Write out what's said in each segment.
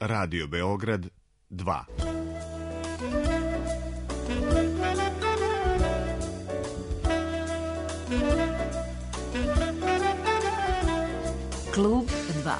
Radio Beograd 2. Klub 2.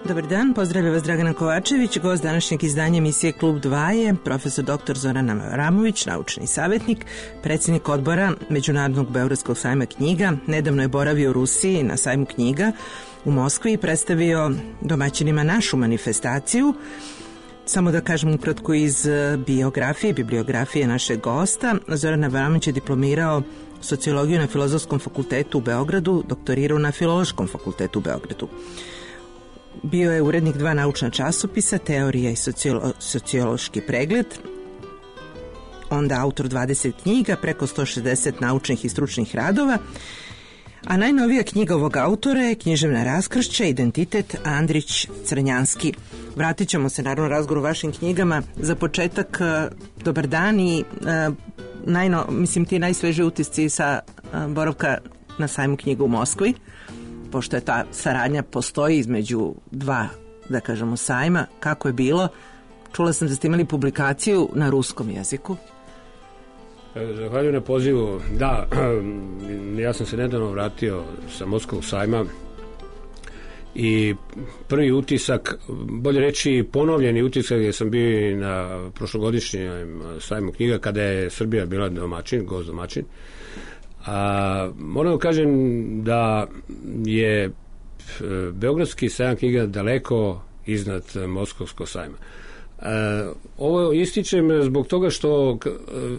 Dobar dan, pozdravlja vas Dragana Kovačević. Gost današnjeg izdanja emisije Klub 2 je profesor dr. Zoran Avramović, naučni savjetnik, predsjednik odbora Međunarodnog Beogradskog sajma knjiga. Nedavno je boravio u Rusiji na sajmu knjiga u Moskvi i predstavio domaćinima našu manifestaciju. Samo da kažem ukratko iz bibliografije našeg gosta. Zoran Avramović je diplomirao sociologiju na Filozofskom fakultetu u Beogradu, doktorirao na Filološkom fakultetu u Beogradu. Bio je urednik 2 naučna časopisa, Teorija i sociološki pregled, onda autor 20 knjiga, preko 160 naučnih i stručnih radova, a najnovija knjiga ovog autora je Književna raskršća, Identitet Andrić-Crnjanski. Vratit ćemo se naravno razgovoru o vašim knjigama. Za početak, dobar dan i ti najsvežiji utisci sa boravka na sajmu knjiga u Moskvi, pošto je ta saradnja postoji između dva, da kažemo, sajma. Kako je bilo? Čula sam da ste imali publikaciju na ruskom jeziku. Zahvaljujem na pozivu. Da, ja sam se nedavno vratio sa Moskvog sajma i prvi utisak, bolje reći ponovljeni utisak, jer sam bio na prošlogodišnjem sajmu knjiga kada je Srbija bila gost domaćin. Moram da kažem da je Beogradski sajam knjiga daleko iznad Moskovskog sajma. Ovo ističem zbog toga što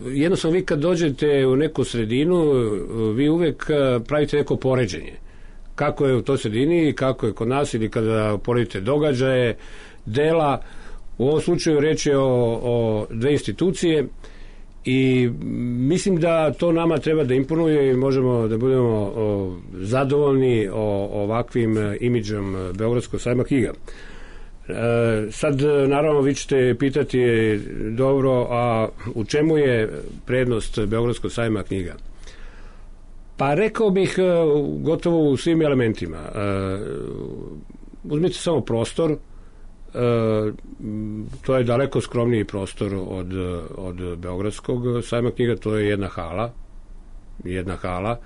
jednostavno vi kad dođete u neku sredinu, vi uvek pravite neko poređenje. Kako je u toj sredini, kako je kod nas, ili kada poredite događaje, dela. U ovom slučaju reč je o dve institucije i mislim da to nama treba da imponuje i možemo da budemo zadovoljni ovakvim imidžom Beogradskog sajma knjiga. Sad naravno vi ćete pitati dobro, a u čemu je prednost Beogradskog sajma knjiga? Pa rekao bih gotovo u svim elementima. Uzmite samo prostor, to je daleko skromniji prostor od Beogradskog sajma knjiga, to je jedna hala.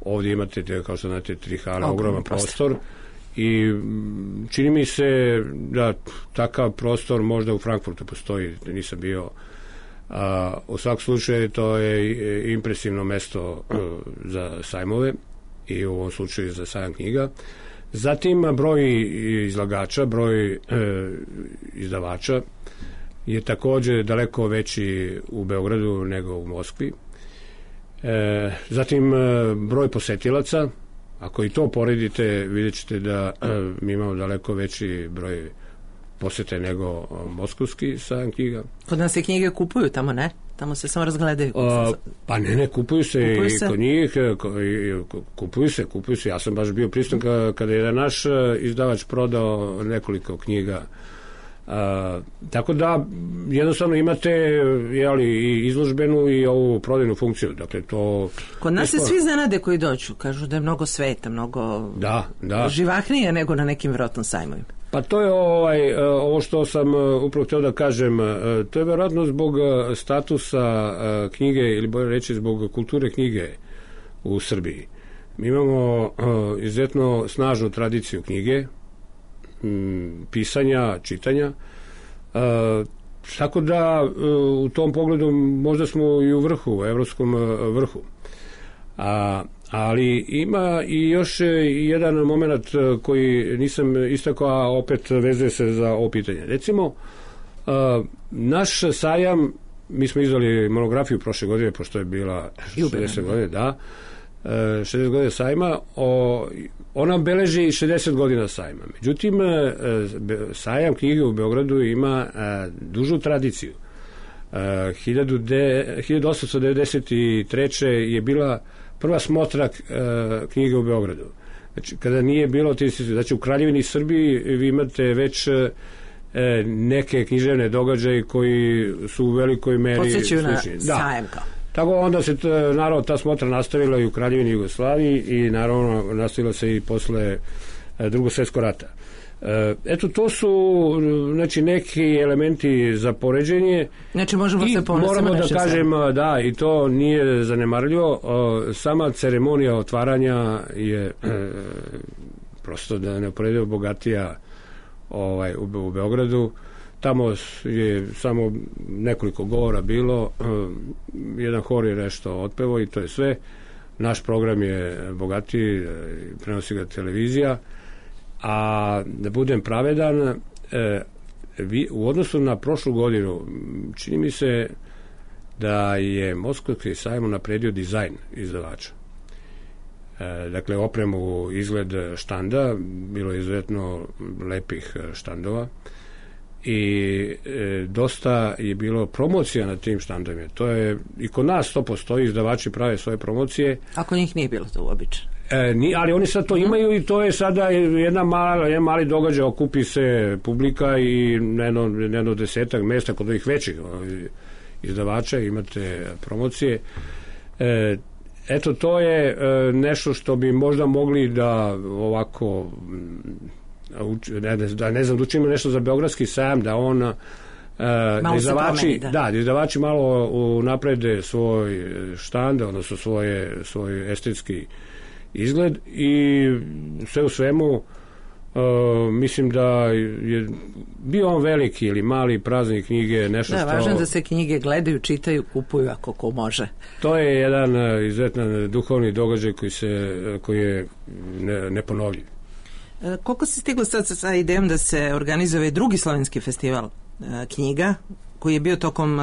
Ovdje imate, kao što znate, 3 hale, ogroman prostor. I čini mi se da takav prostor možda u Frankfurtu postoji, nisam bio. U svakom slučaju to je impresivno mesto za sajmove i u ovom slučaju za sajam knjiga. Zatim broj izlagača, broj izdavača je također daleko veći u Beogradu nego u Moskvi. Zatim broj posetilaca, ako i to poredite, vidjet ćete da mi imamo daleko veći broj posete nego moskovski sajam knjiga. Kod nas se knjige kupuju, tamo ne? Tamo se samo razgledaju. Pa ne, kupuju se kod njih, kupuju se. Ja sam baš bio prisutan kada je naš izdavač prodao nekoliko knjiga. Tako da jednostavno imate i izložbenu i ovu prodajnu funkciju. Dakle, to kod nas se svi zanade koji dođu, kažu da je mnogo sveta, mnogo živahnije nego na nekim vjerojatno sajmovima. Pa to je ovo što sam upravo htio da kažem, to je vjerojatno zbog statusa knjige, ili bolje reći zbog kulture knjige u Srbiji. Mi imamo izuzetno snažnu tradiciju knjige, pisanja, čitanja. Tako da u tom pogledu možda smo i u vrhu, u evropskom vrhu. Ali ima i još jedan moment koji nisam istakao, a opet vezuje se za ovo pitanje. Recimo, naš sajam, mi smo izdali monografiju prošle godine, pošto je bila 60 godine, da, 60 godina sajma, ona beleži 60 godina sajma. Međutim, sajam knjige u Beogradu ima dužu tradiciju. 1893. je bila prva smotra knjige u Beogradu. Znači, kada nije bilo, znači u Kraljevini Srbiji vi imate već neke književne događaje koji su u velikoj meri podsjećaju na sajam kao. Tako onda se naravno ta smotra nastavila i u Kraljevini Jugoslaviji i naravno nastavila se i posle Drugog svjetskog rata. Eto, to su znači neki elementi za poređenje. Znači možemo se ponositi. Moramo da kažem, da, i to nije zanemarljivo, sama ceremonija otvaranja je prosto da neuporedivo bogatija u Beogradu. Tamo je samo nekoliko govora bilo, jedan hor je nešto otpevo i to je sve. Naš program je bogatiji, prenosi ga televizija, a da budem pravedan, u odnosu na prošlu godinu, čini mi se da je Moskovski sajam unapredio dizajn izdavača. Dakle, opremu, izgled štanda, bilo je izuzetno lepih štandova i dosta je bilo promocija na tim štandovima. To je, i kod nas to postoji, izdavači prave svoje promocije. Ako njih nije bilo to uobičajno. Ali oni sad to imaju i to je sada jedan mali događaj, okupi se publika i na jedno 10 mesta kod ovih većih izdavača imate promocije. Eto, to je nešto što bi možda mogli da ovako ne znam, da učinimo nešto za Beogradski sajam, da on da izdavači malo naprede svoj štand, odnosno svoj estetski izgled i sve u svemu mislim da je bio on veliki ili mali praznik knjige nešto što... Da, važno da se knjige gledaju, čitaju, kupuju ako ko može. To je jedan izuzetan duhovni događaj koji je neponovljiv. Koliko se stiglo sad sa idejom da se organizuje drugi slovenski festival knjiga koji je bio tokom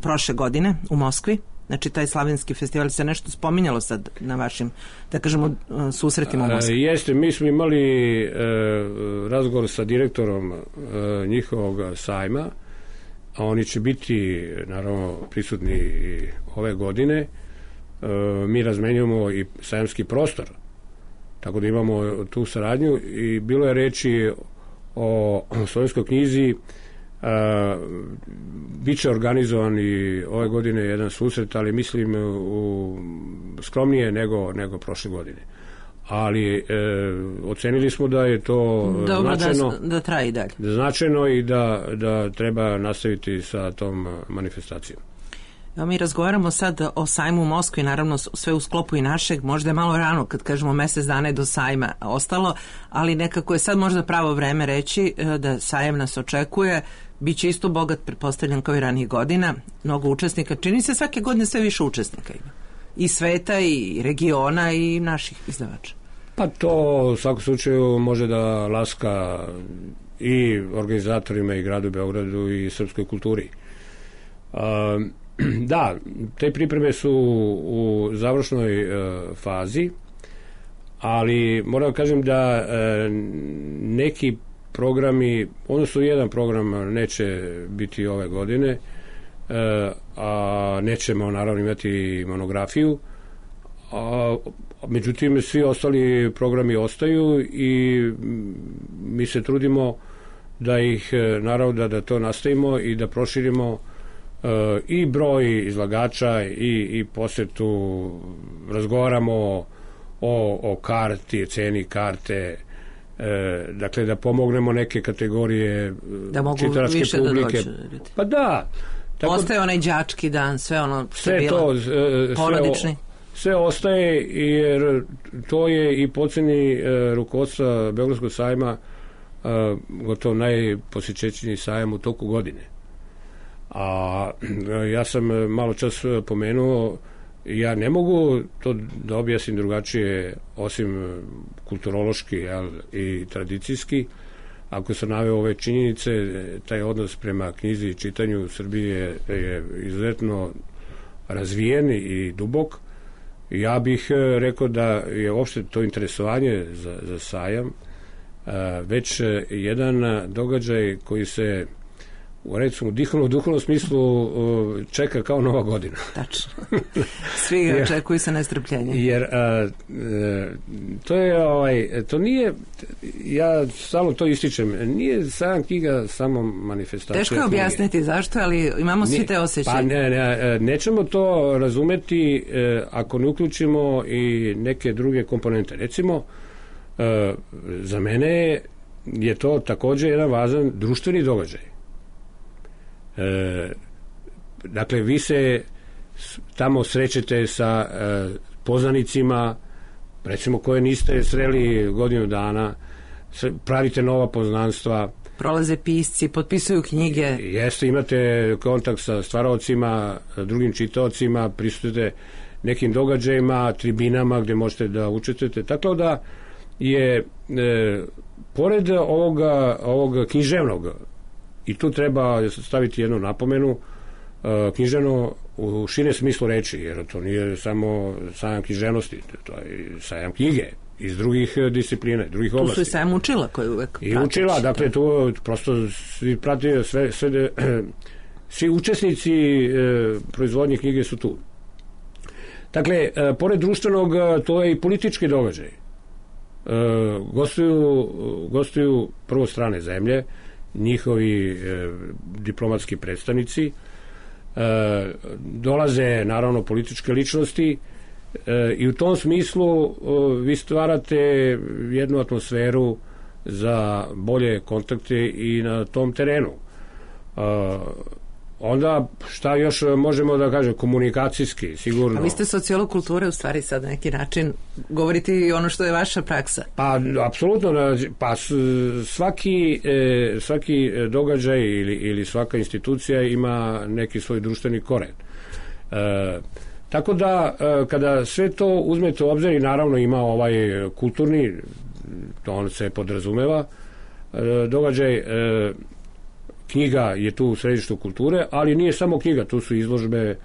prošle godine u Moskvi? Znači, taj slavenski festival se nešto spominjalo sad na vašim, da kažemo, susretima u Moskvi. Jeste, mi smo imali razgovor sa direktorom njihovog sajma, a oni će biti, naravno, prisutni ove godine. Mi razmenjujemo i sajamski prostor, tako da imamo tu saradnju i bilo je reči o slovenskoj knjizi. Biće organizovan i ove godine jedan susret, ali mislim skromnije nego prošle godine. Ali ocenili smo da je to značajno, da traje i dalje. Značajno i da treba nastaviti sa tom manifestacijom. Evo, mi razgovaramo sad o sajmu u Moskvi, naravno sve u sklopu i našeg, možda je malo rano kad kažemo mesec dana je do sajma ostalo, ali nekako je sad možda pravo vreme reći da sajam nas očekuje, bit će isto bogat, pretpostavljam kao i ranijih godina, mnogo učesnika, čini se svake godine sve više učesnika ima, i sveta i regiona i naših izdavača. Pa to u svakom slučaju može da laska i organizatorima i gradu Beogradu i srpskoj kulturi. Da, te pripreme su u završnoj fazi, ali moram kažem da neki programi, odnosno jedan program neće biti ove godine, a nećemo naravno imati monografiju, međutim svi ostali programi ostaju i mi se trudimo da ih, naravno da to nastavimo i da proširimo i broj izlagača i posetu, razgovaramo o karti, ceni karte, dakle da pomognemo neke kategorije čitalačke publike. Pa da. Tako, ostaje onaj đački dan, sve ono što je bilo porodični. Sve ostaje jer to je i po ceni rukovodstva Beogradskog sajma gotovo najposjećeniji sajam u toku godine. A ja sam malo čas pomenuo, ja ne mogu to da objasnim drugačije osim kulturološki, i tradicijski. Ako sam naveo ove činjenice, taj odnos prema knjizi i čitanju u Srbiji je izuzetno razvijen i dubok. Ja bih rekao da je uopšte to interesovanje za sajam već jedan događaj koji se u recimo duhovnom smislu čeka kao Nova godina. Tačno. Svi ga očekuju sa nestrpljenjem. Jer to nije, ja stalno to ističem, nije sajam knjiga samo manifestacija. Teško je objasniti zašto, ali imamo svi te osjećaje. Pa nećemo to razumeti ako ne uključimo i neke druge komponente. Recimo, za mene je to također jedan važan društveni događaj. Dakle, vi se tamo srećete sa poznanicima, recimo koje niste sreli godinu dana, pravite nova poznanstva. Prolaze pisci, potpisuju knjige. Jeste, imate kontakt sa stvaraocima, drugim čitaocima, prisutite nekim događajima, tribinama gdje možete da učestvujete. Tako da je pored ovog književnog, i tu treba staviti jednu napomenu, književno u širem smislu reči, jer to nije samo sajam književnosti, to je sajam knjige iz drugih disciplina, drugih oblasti. Tu su i sajam učila koji uvek i učila, dakle tu prosto svi prati svi učesnici proizvodnje knjige su tu. Dakle, pored društvenog, to je i politički događaj. Gostuju prvo strane zemlje, njihovi diplomatski predstavnici, dolaze naravno političke ličnosti i u tom smislu vi stvarate jednu atmosferu za bolje kontakte i na tom terenu. Onda šta još možemo da kažem, komunikacijski sigurno. A vi ste sociolog kulture, u stvari sad na neki način govoriti i ono što je vaša praksa. Pa apsolutno, pa svaki događaj ili svaka institucija ima neki svoj društveni koren. Tako da kada sve to uzmete u obzir, i naravno ima ovaj kulturni, to on se podrazumeva, događaj, knjiga je tu u središtu kulture, ali nije samo knjiga, tu su izložbe,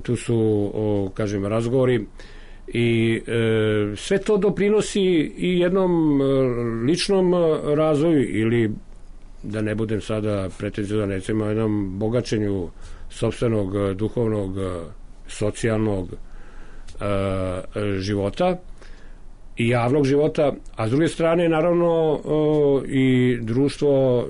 tu su, kažem, razgovori i sve to doprinosi i jednom ličnom razvoju ili, da ne budem sada pretenziozan, recimo jednom bogaćenju sopstvenog, duhovnog, socijalnog života i javnog života, a s druge strane naravno i društvo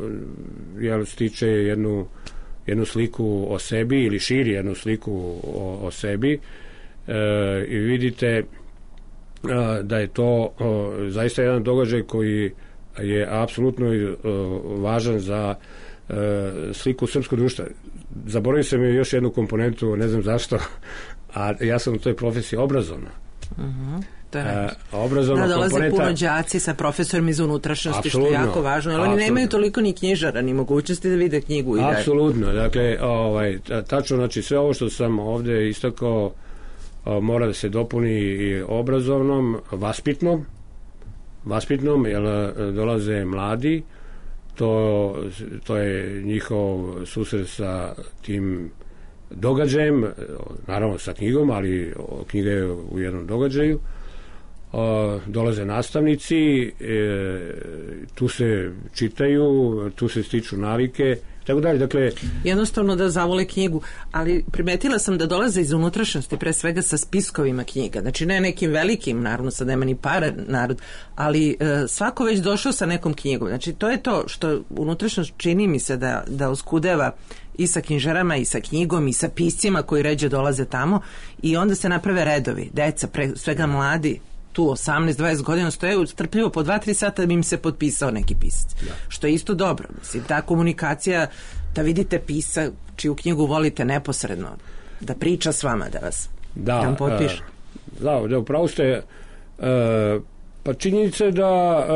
stiče jednu sliku o sebi ili širi jednu sliku o sebi i vidite da je to zaista jedan događaj koji je apsolutno važan za sliku srpskog društva. Zaboravio sam još jednu komponentu, ne znam zašto, a ja sam u toj profesiji obrazovna. Obrazovna dolaze komponenta. Puno đaci sa profesorima iz unutrašnjosti, što je jako važno, jer oni nemaju toliko ni knjižara, ni mogućnosti da vide knjigu. Apsolutno, dakle, tačno, znači sve ovo što sam ovde istakao mora da se dopuni i obrazovnom, vaspitnom, jer dolaze mladi, to je njihov susret sa tim događajem, naravno sa knjigom, ali knjiga je u jednom događaju. Dolaze nastavnici, tu se čitaju, tu se stiču navike, tako dalje. Dakle, jednostavno da zavole knjigu, ali primetila sam da dolaze iz unutrašnjosti, pre svega sa spiskovima knjiga, znači ne nekim velikim, naravno sad nema ni para narod, ali svako već došao sa nekom knjigom, znači to je to što unutrašnjost čini mi se da oskudeva i sa knjižarama i sa knjigom i sa piscima koji ređe dolaze tamo i onda se naprave redovi, deca, pre svega mladi, tu 18-20 godina stoje strpljivo po 2-3 sata da bi im se potpisao neki pisac. Što je isto dobro. Mislim, ta komunikacija, da vidite pisa čiju knjigu volite neposredno, da priča s vama, da vas tam potpiše. Da, upravo ste, Pa činjenica je da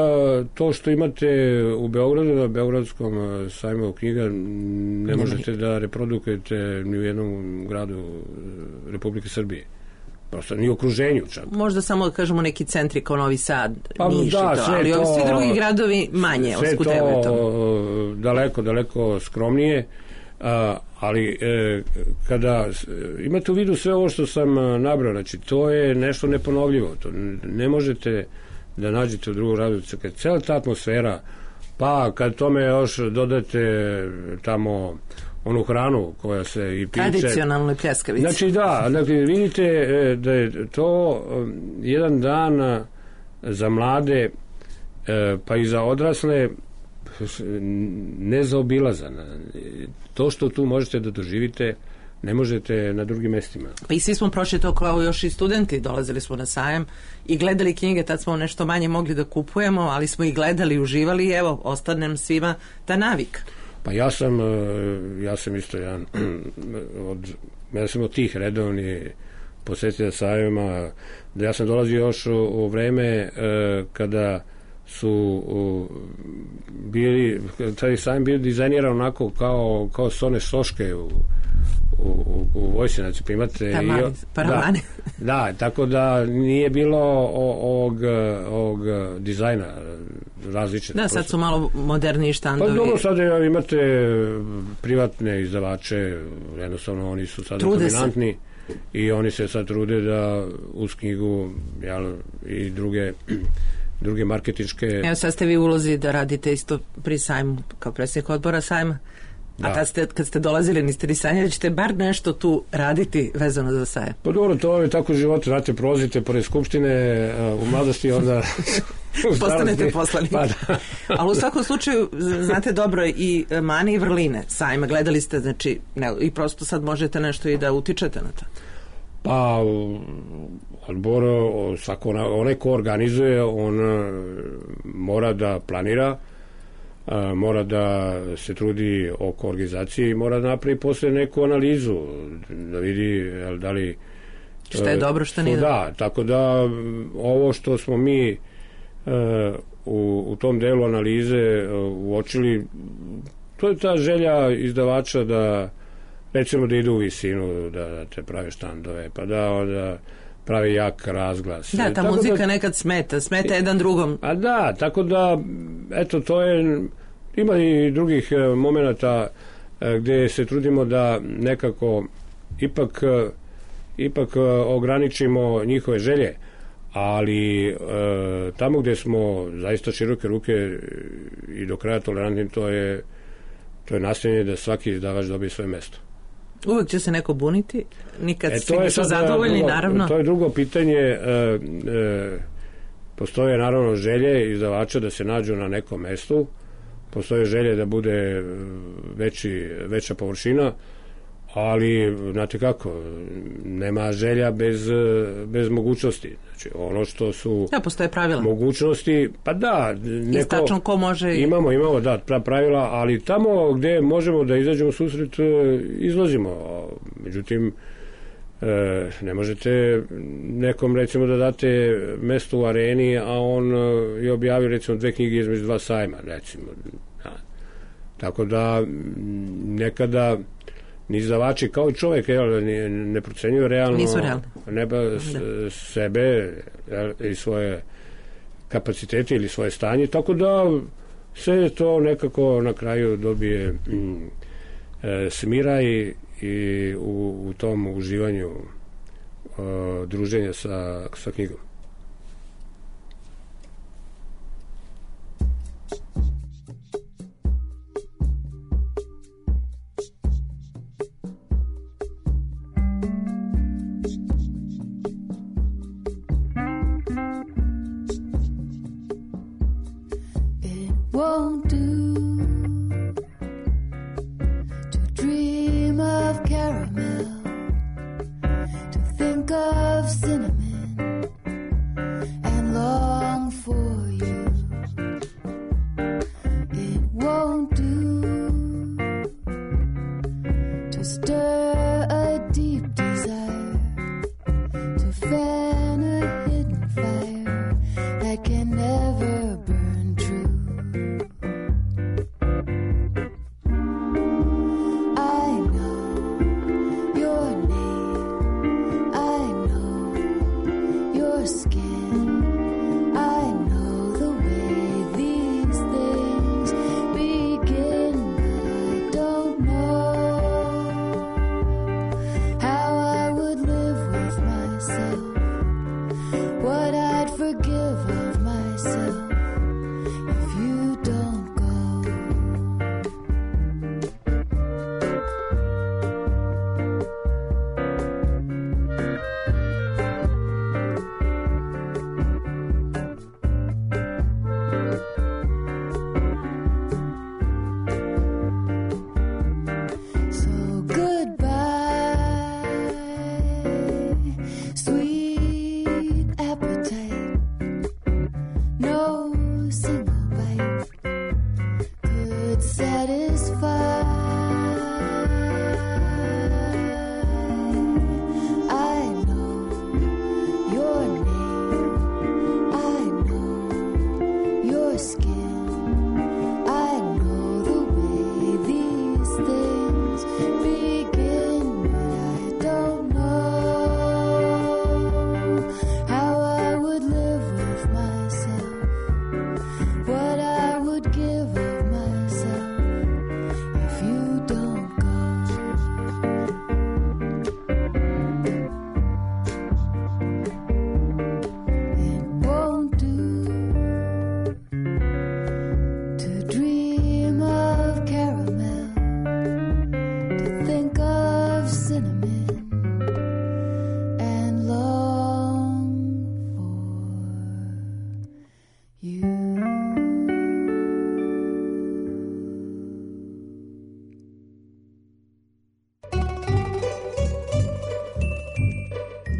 to što imate u Beogradu, na Beogradskom sajmu knjiga, ne možete da reprodukujete ni u jednom gradu Republike Srbije. Prosto ni u okruženju čak. Možda samo da kažemo neki centri kao Novi Sad, pa, Niš da, i to, ali ovi svi drugi gradovi manje oskudevaju to. Daleko skromnije, ali kada imate u vidu sve ovo što sam nabrao, znači to je nešto neponovljivo, to ne možete da nađete u drugom gradu, kad cela ta atmosfera, pa kad tome još dodate tamo onu hranu koja se i piče. Tradicionalno pljeskavice. Znači da, dakle, vidite da je to jedan dan za mlade pa i za odrasle nezaobilazan. To što tu možete da doživite ne možete na drugim mestima. Pa i svi smo prošli to kao još i studenti, dolazili smo na sajam i gledali knjige, tad smo nešto manje mogli da kupujemo, ali smo ih gledali i uživali i evo, ostane nam svima ta navika. Pa ja sam isto jedan ja sam od tih redovni posjetitelja sajma, da ja sam dolazio još u vreme kada su bili, taj sajam bio dizajniran onako kao sone soške u vojsi, znači pa imate paravane. Da, tako da nije bilo ovog dizajna različite. Da, sad su malo moderniji štandovi. Pa dobro, sad imate privatne izdavače, jednostavno oni su sad dominantni i oni se sad trude da uz knjigu i druge marketinške... Evo sad ste vi u ulozi da radite isto pri sajmu, kao predsjednik odbora sajma. Da. A kad ste dolazili, niste li sanjali da ćete bar nešto tu raditi vezano za sajam? Pa dobro, to je tako život, znate, prolazite pored skupštine u mladosti, onda... Postanete poslanik. Pa da. Ali u svakom slučaju, znate dobro i mane i vrline sajma, gledali ste, znači, i prosto sad možete nešto i da utičete na to. Pa, odbor, onaj ko organizuje, on mora da planira, mora da se trudi oko organizacije i mora da napravi posle neku analizu, da vidi da li... Šta je dobro, šta nije dobro. Da, tako da ovo što smo mi u tom delu analize uočili, to je ta želja izdavača da recimo da idu u visinu, da te prave štandove, pa da pravi jak razglas. Da, ta muzika nekad smeta jedan drugom. A da, tako da, eto, to je, ima i drugih momenata gde se trudimo da nekako ipak ograničimo njihove želje, ali tamo gde smo zaista široke ruke i do kraja tolerantni, to je nastojanje da svaki izdavač dobije svoje mesto. Uvijek će se neko buniti, nikad svi nisu zadovoljni, naravno. To je drugo pitanje. Postoje naravno želje izdavača da se nađu na nekom mestu, postoje želje da bude veća površina, ali znate kako, nema želja bez mogućnosti. Znači ono što su postoje pravila. Mogućnosti, pa da, istačno ko može. Imamo pravila, ali tamo gde možemo da izađemo u susret, izlazimo. Međutim, ne možete nekom recimo da date mesto u areni, a on je objavio recimo 2 knjige između 2 sajma, recimo. Tako da nekada ni izdavači kao i čovjek ne procenjuju realno sebe i svoje kapacitete ili svoje stanje, tako da sve to nekako na kraju dobije smira i u tom uživanju druženja sa knjigom. Won't do to dream of caramel, to think of cinnamon and long for you. It won't do to stir a deep desire, to fan a hidden fire that can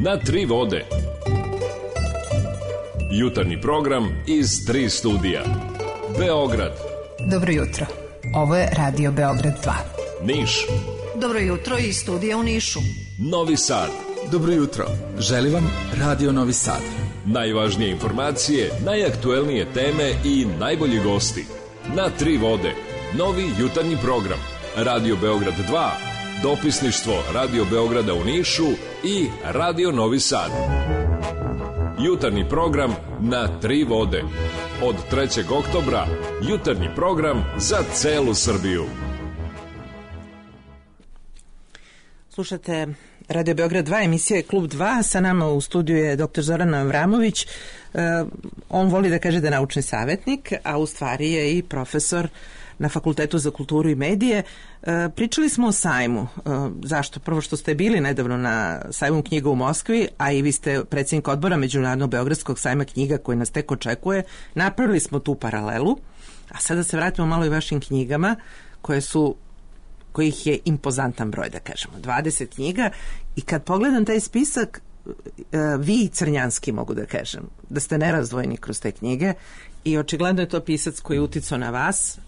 Na tri vode. Jutarnji program iz 3 studija. Beograd. Dobro jutro. Ovo je Radio Beograd 2. Niš. Dobro jutro iz studija u Nišu. Novi Sad. Dobro jutro. Želi vam Radio Novi Sad. Najvažnije informacije, najaktuelnije teme i najbolji gosti. Na tri vode. Novi jutarnji program. Radio Beograd 2. Dopisništvo Radio Beograda u Nišu i Radio Novi Sad. Jutarnji program na tri vode. Od 3. oktobra jutarnji program za celu Srbiju. Slušate Radio Beograd 2, emisija je Klub 2, sa nama u studiju je dr. Zoran Avramović. On voli da kaže da je naučni savjetnik, a u stvari je i profesor na Fakultetu za kulturu i medije. Pričali smo o sajmu. Zašto? Prvo što ste bili nedavno na sajmu knjiga u Moskvi, a i vi ste predsjednik odbora Međunarodnog beogradskog sajma knjiga koji nas tek očekuje. Napravili smo tu paralelu, a sada se vratimo malo i vašim knjigama kojih je impozantan broj, da kažemo, 20 knjiga, i kad pogledam taj spisak, vi i Crnjanski, mogu da kažem, da ste nerazdvojni kroz te knjige i očigledno je to pisac koji je uticao na vas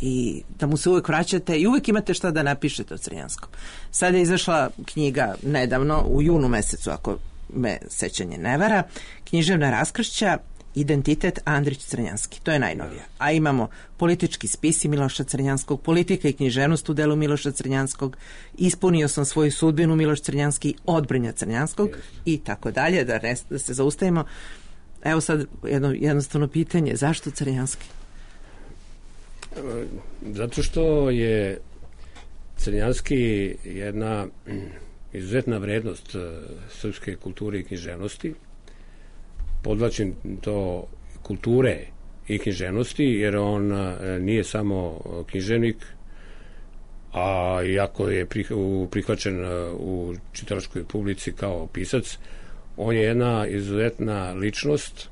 i da mu se uvek vraćate i uvek imate šta da napišete o Crnjanskom. Sada je izašla knjiga nedavno, u junu mesecu, ako me sećanje ne vara, Književna raskršća, Identitet Andrić Crnjanski. To je najnovija. A imamo politički spisi Miloša Crnjanskog, politika i književnost u delu Miloša Crnjanskog, Ispunio sam svoju sudbinu Miloš Crnjanski, Odbrnja Crnjanskog i tako dalje, da se zaustavimo. Evo sad jednostavno pitanje, zašto Crnjanski? Zato što je Crnjanski jedna izuzetna vrednost srpske kulture i književnosti. Podvlačim to kulture i književnosti, jer on nije samo književnik, a iako je prihvaćen u čitalačkoj publici kao pisac, on je jedna izuzetna ličnost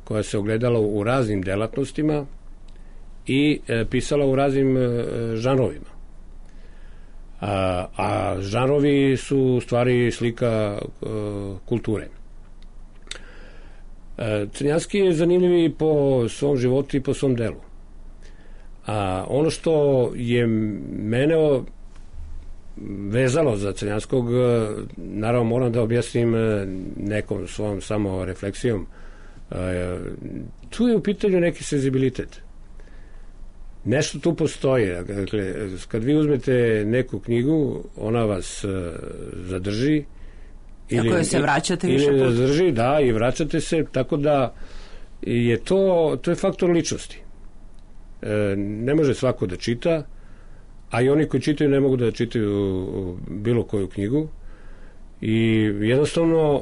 koja se ogledala u raznim delatnostima i pisala u raznim žanrovima. A žanrovi su u stvari slika kulture. Crnjanski je zanimljiv i po svom životu i po svom delu. Ono što je mene vezalo za Crnjanskog, naravno moram da objasnim nekom svom samo refleksijom, tu je u pitanju neki senzibilitet. Nešto tu postoji. Dakle, kad vi uzmete neku knjigu, ona vas zadrži, Ako se vraćate više puta. Ili zadrži, da, i vraćate se, tako da je to je faktor ličnosti. Ne može svako da čita, a i oni koji čitaju ne mogu da čitaju bilo koju knjigu, i jednostavno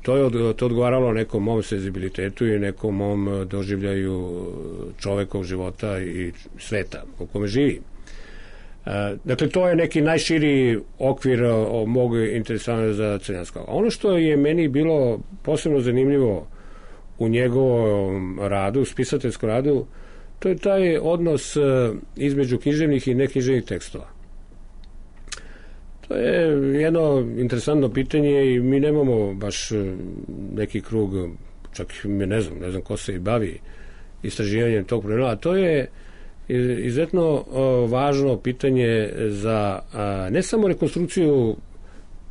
to je odgovaralo nekom mom senzibilitetu i nekom mom doživljaju čovekov života i sveta u kome živi. Dakle, to je neki najširi okvir mog interesovanja za Crnjanskog. Ono što je meni bilo posebno zanimljivo u njegovom radu, spisateljskom radu, to je taj odnos između književnih i neknjiževnih tekstova. To je jedno interesantno pitanje i mi nemamo baš neki krug, čak ne znam ko se i bavi istraživanjem tog problema, a to je izuzetno važno pitanje za ne samo rekonstrukciju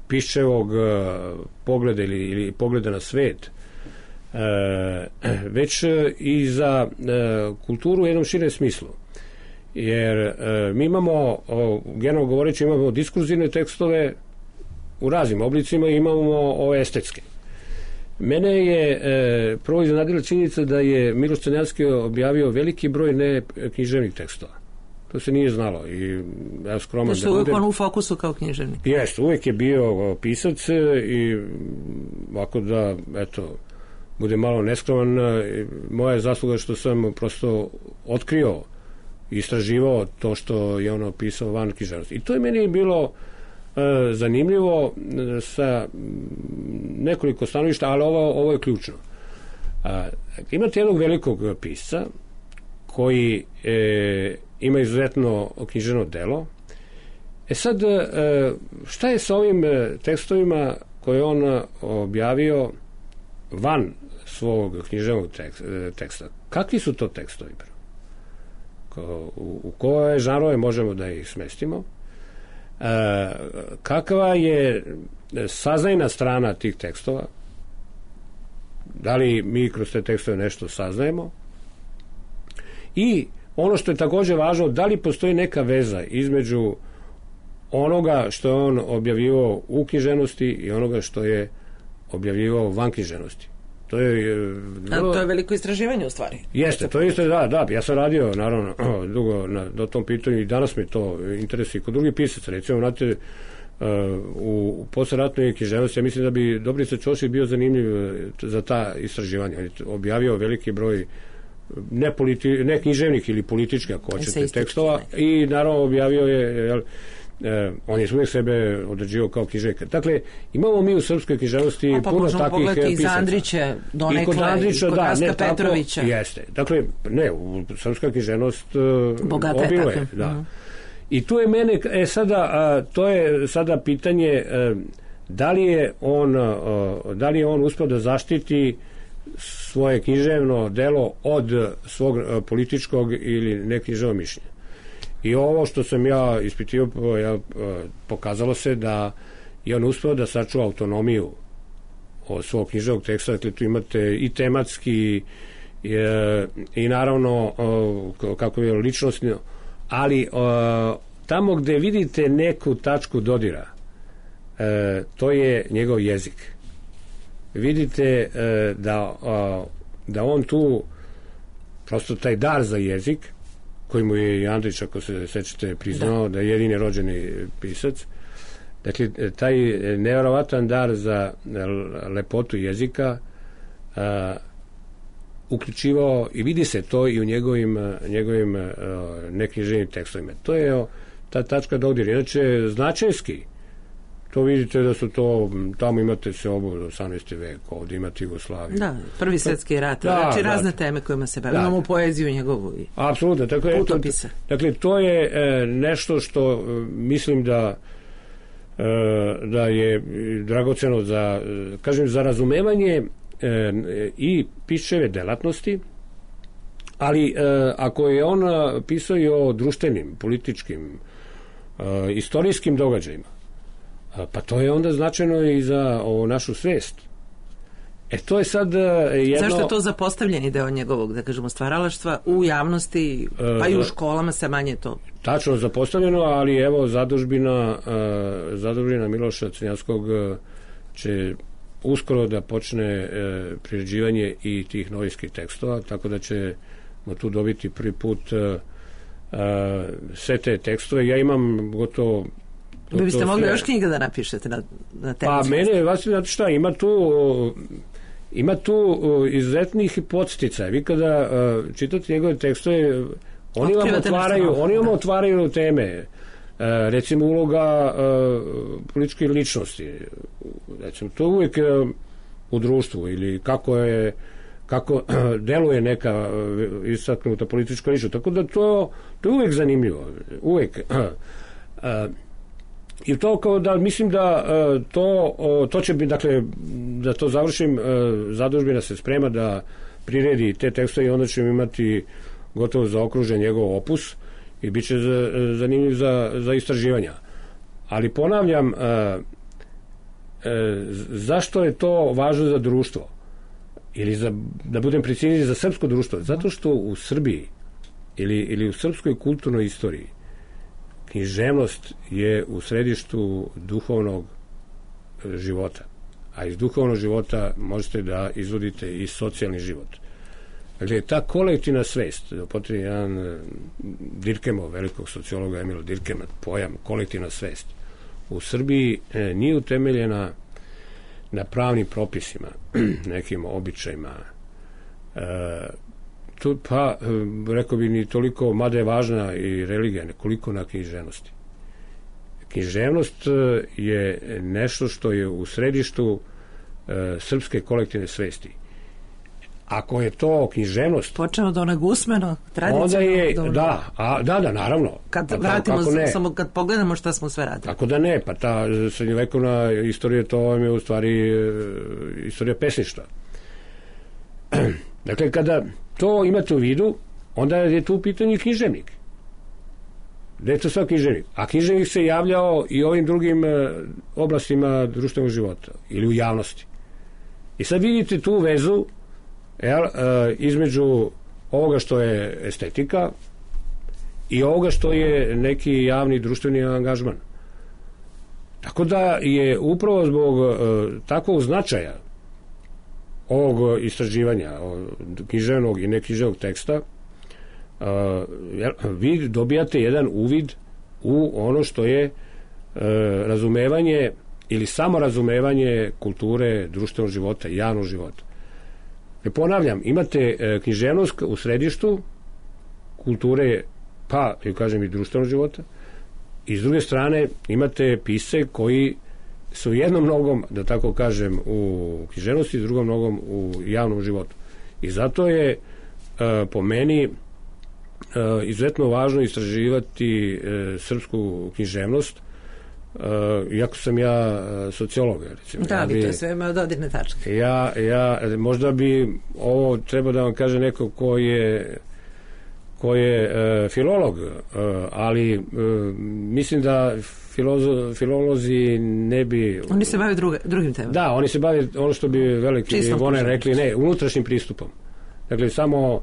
Piščevog pogleda ili pogleda na svet, već i za kulturu u jednom širem smislu. Jer mi imamo, generalno govoreći, imamo diskurzivne tekstove u raznim oblicima i imamo ove estetske. Mene je prvo iznenadila činjenica da je Miloš Crnjanski objavio veliki broj neknjiževnih tekstova. To se nije znalo. I ja skroman da što uvijek on u fokusu kao književnik. Jeste, uvijek je bio pisac i ovako da, eto, bude malo neskroman, moja je zasluga što sam prosto otkrio i istraživao to što je ono pisao van književnosti. I to je meni bilo zanimljivo sa nekoliko stanovišta, ali ovo je ključno. Imate jednog velikog pisca koji ima izuzetno književno delo. Sad, šta je sa ovim tekstovima koje on objavio van svog književnog teksta. Kakvi su to tekstovi? U koje žanrove možemo da ih smestimo? Kakva je saznajna strana tih tekstova? Da li mi kroz te tekstove nešto saznajemo? I ono što je takođe važno, da li postoji neka veza između onoga što je on objavivao u književnosti i onoga što je objavivao van književnosti. To je veliko istraživanje u stvari. Jeste, to je isto, da, ja sam radio naravno dugo na tom pitanju i danas me to interesuje kod drugih pisaca. Recimo, znate, u posleratnoj književnosti, ja mislim da bi Dobrica Ćosić bio zanimljiv za ta istraživanja. On je objavio veliki broj ne književnih ili političkih, ako hoćete, tekstova i naravno objavio je on je uvijek sebe određivao kao književnika. Dakle, imamo mi u srpskoj književnosti puno takvih pisaca. I za Andrića, donekle, i kod Raska Petrovića. Jeste. Dakle, u srpska književnost obiluje. Da. I tu je mene, to je sada pitanje da li je on uspeo da zaštiti svoje književno delo od svog političkog ili neknjiževnog mišljenja. I ovo što sam ja ispitio, pokazalo se da je on uspeo da sačuva autonomiju od svog književnog teksta. Dakle, tu imate i tematski i naravno kako je ličnostno, ali tamo gde vidite neku tačku dodira, to je njegov jezik. Vidite da on tu prosto taj dar za jezik, koji mu je i Andrić, ako se sećate, priznao da je jedini rođeni pisac. Dakle, taj nevjerovatan dar za lepotu jezika uključivao, i vidi se to i u njegovim neknjiževnim tekstovima. To je ta tačka dodira. Inače, značajski, to vidite da su to, tamo imate se obu 18. vek, ovdje imate Jugoslaviju. Da, Prvi svjetski rat, znači razne teme kojima se bavimo. Imamo poeziju njegovu i apsolutno, putopise. Dakle, to je nešto što mislim da je dragoceno za razumevanje i piševe delatnosti, ali ako je on pisao i o društvenim, političkim, istorijskim događajima, pa to je onda značajno i za našu svest. To je sad jedno... Zašto je to zapostavljeni deo njegovog, da kažemo, stvaralaštva u javnosti, pa i u školama se manje to? Tačno zapostavljeno, ali evo zadužbina Miloša Crnjanskog će uskoro da počne priređivanje i tih novinskih tekstova, tako da ćemo tu dobiti prvi put sve te tekstove. Ja imam gotovo... Vi biste mogli još knjiga da napišete na temu? Pa mene, vas znate šta, ima tu izuzetnih podstica. Vi kada čitate njegove tekstove, oni vam otvaraju teme. Recimo, uloga političke ličnosti. Recimo, to uvijek u društvu, ili kako deluje neka istaknuta politička ličnost. Tako da to je uvijek zanimljivo. Uvijek. I to kao da mislim da to će biti, dakle, da to završim, zadužbina se sprema da priredi te tekstove i onda ćemo imati gotovo zaokružen njegov opus i bit će zanimljiv za istraživanja. Ali ponavljam, zašto je to važno za društvo? Ili da budem precizniji, za srpsko društvo? Zato što u Srbiji ili u srpskoj kulturnoj istoriji književnost je u središtu duhovnog života. A iz duhovnog života možete da izvodite i socijalni život. Dakle, ta kolektivna svest, potrebno jedan Dirkemov, velikog sociologa Emila Dirkema, pojam kolektivna svest, u Srbiji nije utemeljena na pravnim propisima, nekim običajima, pa rekao bi ni toliko, mada je važna i religija, nekoliko na književnosti. Književnost je nešto što je u središtu srpske kolektivne svesti. ako je to književnost, počeo od onog usmenog, tradicionalnog. onda je, da, naravno. Kad vratimo, samo kad pogledamo šta smo sve radili. Kako da ne, pa ta srednjovekovna istorija, to vam je u stvari istorija pesništva. Dakle, kada to imate u vidu, onda je tu u pitanju književnik. Da je to sve književnik. A književnik se javljao i ovim drugim oblastima društvenog života ili u javnosti. I sad vidite tu vezu između ovoga što je estetika i ovoga što je neki javni društveni angažman. Tako da je upravo zbog takvog značaja ovog istraživanja književnog i neknjiževnog teksta vi dobijate jedan uvid u ono što je razumevanje ili samorazumevanje kulture, društvenog života i javnog života. Ponavljam, imate književnost u središtu kulture, pa, kažem, i društvenog života, i s druge strane imate pisce koji su jednom nogom, da tako kažem, u književnosti, s drugom nogom u javnom životu. I zato je po meni izuzetno važno istraživati srpsku književnost, iako sam ja sociolog, recimo. Da, to je sve ima dodirne tačke. Možda bi ovo treba da vam kaže neko ko je filolog, ali mislim da filolozi ne bi... Oni se bave drugim temama. Da, oni se bave ono što bi veliki Voner rekli, unutrašnjim pristupom. Dakle, samo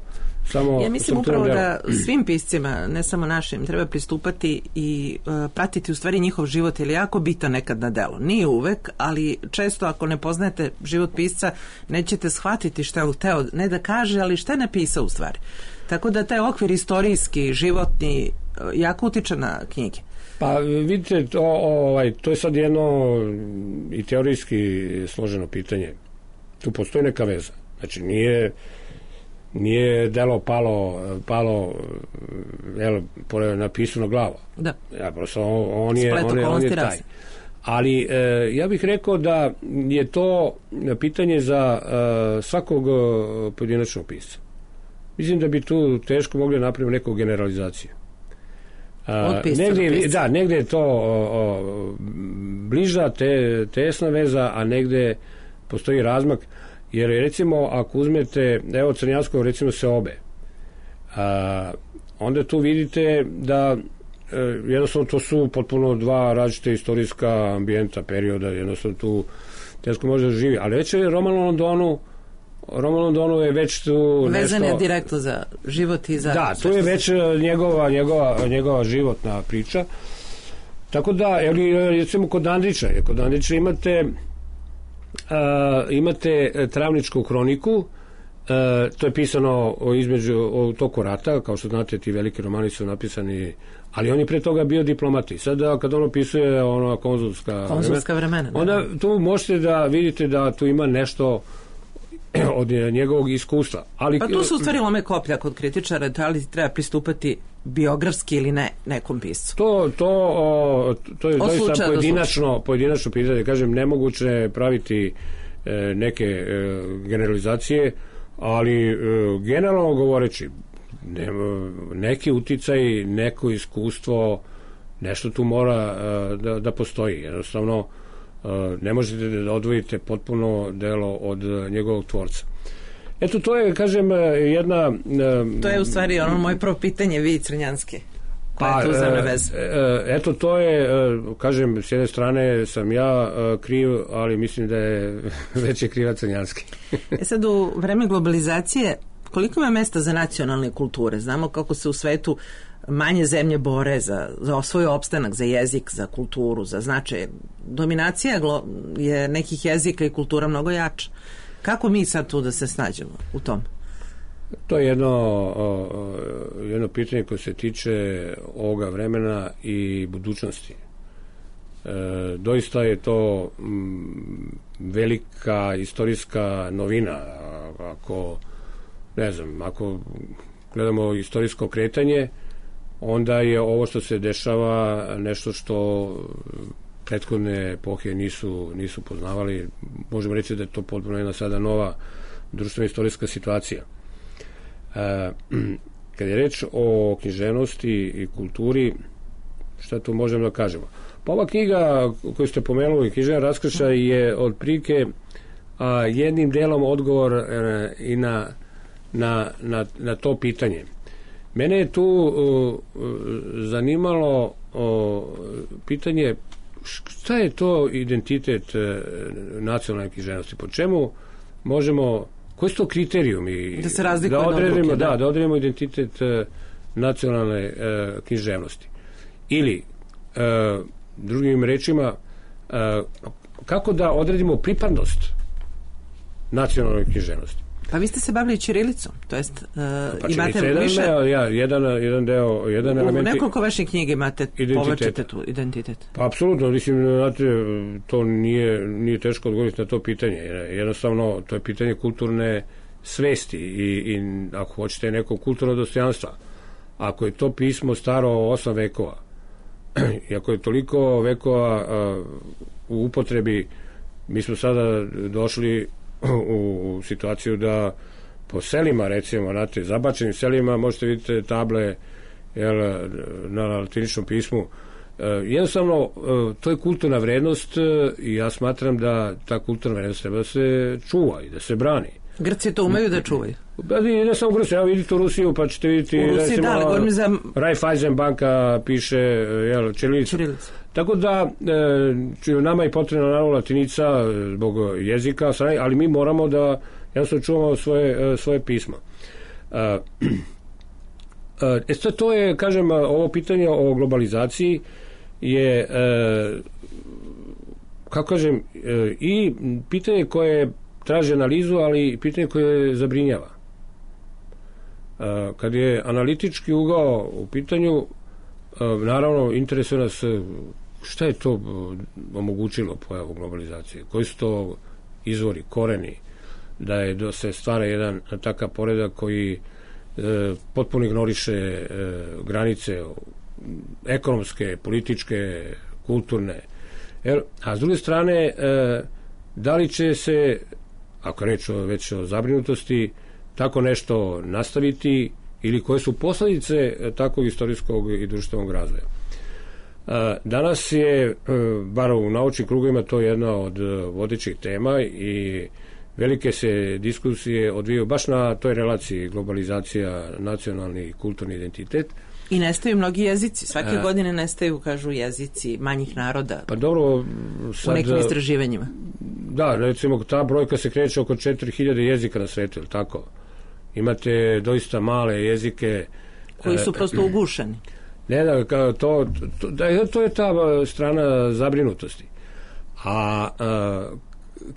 ja mislim upravo da svim piscima, ne samo našim, treba pristupati i pratiti u stvari njihov život, jer je jako bitan nekad na delo. Nije uvek, ali često ako ne poznajete život pisca, nećete shvatiti šta je hteo, ne da kaže, ali šta je napisao u stvari. Tako da taj okvir istorijski, životni, jako utiče na knjige. Pa vidite, to je sad jedno i teorijski složeno pitanje. Tu postoji neka veza. Znači, nije delo palo napisano glavo. Da. Ja, prosto on je taj. Ali ja bih rekao da je to pitanje za svakog pojedinačnog pisca. Mislim da bi tu teško mogli napraviti neku generalizaciju. Negde je to bliža tesna veza, a negde postoji razmak. Jer recimo ako uzmete, evo Crnjanskog recimo Seobe, onda tu vidite da jednostavno to su potpuno dva različite istorijska ambijenta, perioda, jednostavno tu teško može da živi. Ali već je Roman Londonu je već tu vezan je direktno za život i za... Da, tu je već njegova životna priča. Tako da, recimo kod Andrića imate Travničku kroniku, to je pisano između toku rata, kao što znate, ti veliki romani su napisani, ali on je pre toga bio diplomati. Sada kad on opisuje konzulska vremena, onda tu možete da vidite da tu ima nešto od njegovog iskustva. Pa tu se u stvari lome koplja kod kritičara, da li treba pristupati biografski ili ne nekom piscu. To je doista pojedinačno pitanje. Kažem, nemoguće je praviti neke generalizacije, ali generalno govoreći, neki uticaj, neko iskustvo, nešto tu mora da postoji. Jednostavno, ne možete da odvojite potpuno delo od njegovog tvorca. Eto, to je, kažem, jedna... To je u stvari ono moje prvo pitanje, vi Crnjanski. Koja je tu zemlja veza? Eto, to je, kažem, s jedne strane sam ja kriv, ali mislim da je već je kriva Crnjanski. Sad, u vreme globalizacije, koliko ima mesta za nacionalne kulture? Znamo kako se u svetu manje zemlje bore za svoj opstanak, za jezik, za kulturu, za značaj. Dominacija je nekih jezika i kultura mnogo jača. Kako mi sad tu da se snađemo u tom? To je jedno pitanje koje se tiče ovoga vremena i budućnosti. Doista je to velika istorijska novina. Ako gledamo istorijsko kretanje, onda je ovo što se dešava nešto što prethodne epohe nisu poznavali. Možemo reći da je to potpuno jedna sada društveno-istorijska situacija. Kad je reč o književnosti i kulturi, šta tu možemo da kažemo? Pa ova knjiga koju ste pomenuli, Književna raskršaj, je otprilike jednim delom odgovor i na to pitanje. Mene je tu zanimalo pitanje šta je to identitet nacionalne književnosti, po čemu možemo, koji su to kriterijumi da se razlikuje od odluke, da odredimo identitet nacionalne književnosti, ili drugim rečima kako da odredimo pripadnost nacionalnoj književnosti. Pa vi ste se bavili ćirilicom, to jest imate više... Jedan deo, jedan element... U nekoliko vaših knjiga imate, povlačite tu identitet. Pa apsolutno, mislim, znate, to nije teško odgovoriti na to pitanje. Jednostavno, to je pitanje kulturne svesti i ako hoćete neko kulturno dostojanstva. Ako je to pismo staro 8 vekova, i ako je toliko vekova u upotrebi, mi smo sada došli u situaciju da po selima, recimo, znate, zabačenim selima možete vidjeti table na latiničnom pismu. Jednostavno, to je kulturna vrednost i ja smatram da ta kulturna vrednost treba da se čuva i da se brani. Grci to umeju da čuvaju? Ne samo Grci, evo vidite u Rusiju, pa ćete vidjeti, recimo, Raiffeisen banka piše ćirilicu. Tako da, nama je potrebna naravno latinica zbog jezika, ali mi moramo da jednostavno čuvamo svoje pismo. To je, kažem, ovo pitanje o globalizaciji je, kako kažem, i pitanje koje traži analizu, ali i pitanje koje zabrinjava. Kad je analitički ugao u pitanju, naravno, interesuje nas šta je to omogućilo pojavu globalizacije, koji su to izvori, koreni, da se stvara jedan takav poredak koji potpuno ignoriše granice ekonomske, političke, kulturne. A s druge strane, da li će se, ako je reč već o zabrinutosti, tako nešto nastaviti ili koje su posljedice takvog istorijskog i društvenog razvoja. Danas je, bar u naučnim krugovima, to jedna od vodećih tema i velike se diskusije odvijaju baš na toj relaciji globalizacija, nacionalni i kulturni identitet. I nestaju mnogi jezici. Svake godine nestaju, kažu, jezici manjih naroda. Pa dobro, sad, u nekim istraživanjima. Da, recimo, ta brojka se kreće oko 4000 jezika na svetu, ili tako? Imate doista male jezike koji su prosto ugušeni. Ne, to je ta strana zabrinutosti. A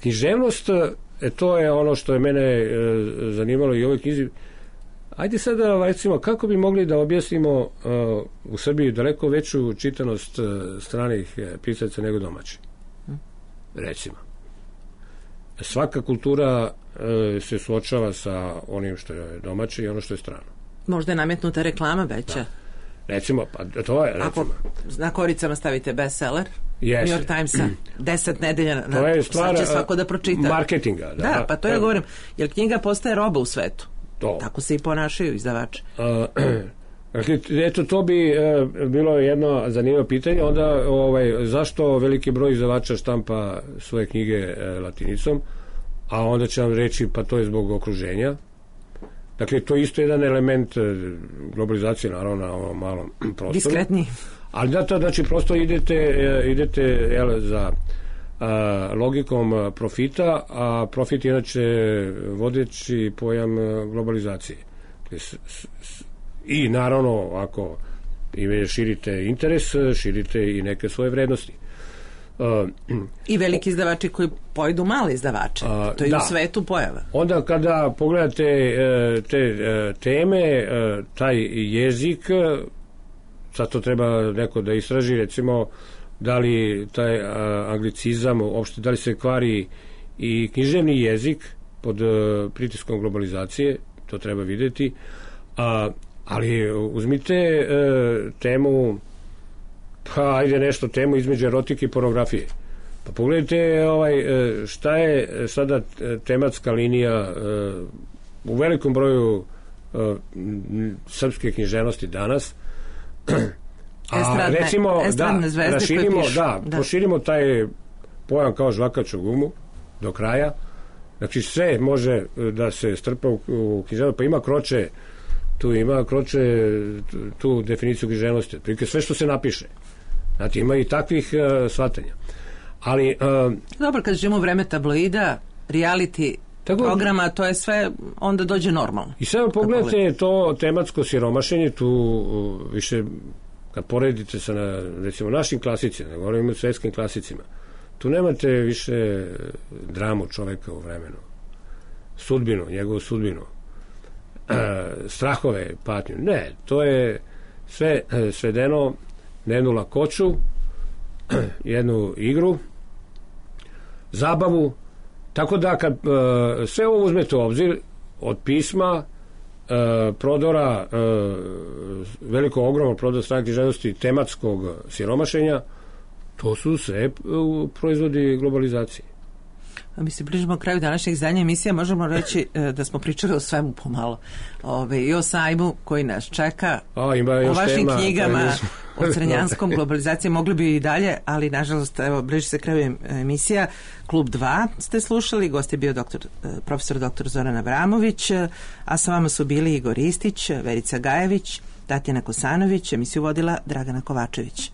književnost, to je ono što je mene zanimalo i u ovoj knjizi. Ajde sada, recimo, kako bi mogli da objasnimo u Srbiji daleko veću čitanost stranih pisaca nego domaći? Recimo. Svaka kultura se suočava sa onim što je domaće i ono što je strano. Možda je nametnuta reklama veća. Da. Recimo, pa to je, recimo. Ako na koricama stavite bestseller, yes. New York Timesa, 10 nedelja, to je stvar će svako da pročita. Marketinga. Da, pa to ja govorim, jer knjiga postaje roba u svetu. Tako se i ponašaju izdavači. Eto, to bi bilo jedno zanimljivo pitanje. Onda, zašto veliki broj izdavača štampa svoje knjige latinicom, a onda će vam reći, pa to je zbog okruženja. Dakle, to je isto jedan element globalizacije, naravno, na ovom malom prostoru. Diskretniji. Ali znači, prosto idete za logikom profita, a profit je inače vodeći pojam globalizacije. I naravno, ako širite interes, širite i neke svoje vrednosti. I veliki izdavači koji pojedu male izdavače. To je i u svetu pojava. Onda kada pogledate te teme, taj jezik, sad to treba neko da istraži, recimo, da li taj anglicizam, uopšte, da li se kvari i književni jezik pod pritiskom globalizacije, to treba vidjeti. Ali uzmite temu, pa ajde nešto, temu između erotike i pornografije. Pa pogledajte šta je sada tematska linija u velikom broju srpske književnosti danas. A recimo proširimo taj pojam kao žvakaču gumu do kraja. Znači sve može da se strpa u književnost, pa ima Kroče tu definiciju književnosti, otprilike sve što se napiše. Znači ima i takvih shvatanja. Ali dobro, kad živimo u vreme tabloida, reality programa, to je sve, onda dođe normalno. I sad pogledajte to tematsko siromašenje, tu više kad poredite sa recimo našim klasicima, ne govorimo o svetskim klasicima, tu nemate više dramu čoveka u vremenu, njegovu sudbinu, strahove, patnju. Ne, to je sve svedeno na jednu lakoću, jednu igru, zabavu, tako da kad sve ovo uzmete u obzir, od pisma, prodora, ogromnog prodora strane književnosti, tematskog siromašenja, to su sve proizvodi globalizacije. Mi se bližimo kraju današnjeg izdanja emisija, možemo reći da smo pričali o svemu pomalo. I o sajmu koji nas čeka, o vašim knjigama, o crnjanskom globalizaciji, mogli bi i dalje, ali nažalost, evo, bliži se kraju emisija. Klub 2 ste slušali, gost je bio profesor dr. Zoran Avramović, a sa vama su bili Igor Ristić, Verica Gajević, Tatjana Kosanović, emisiju vodila Dragana Kovačević.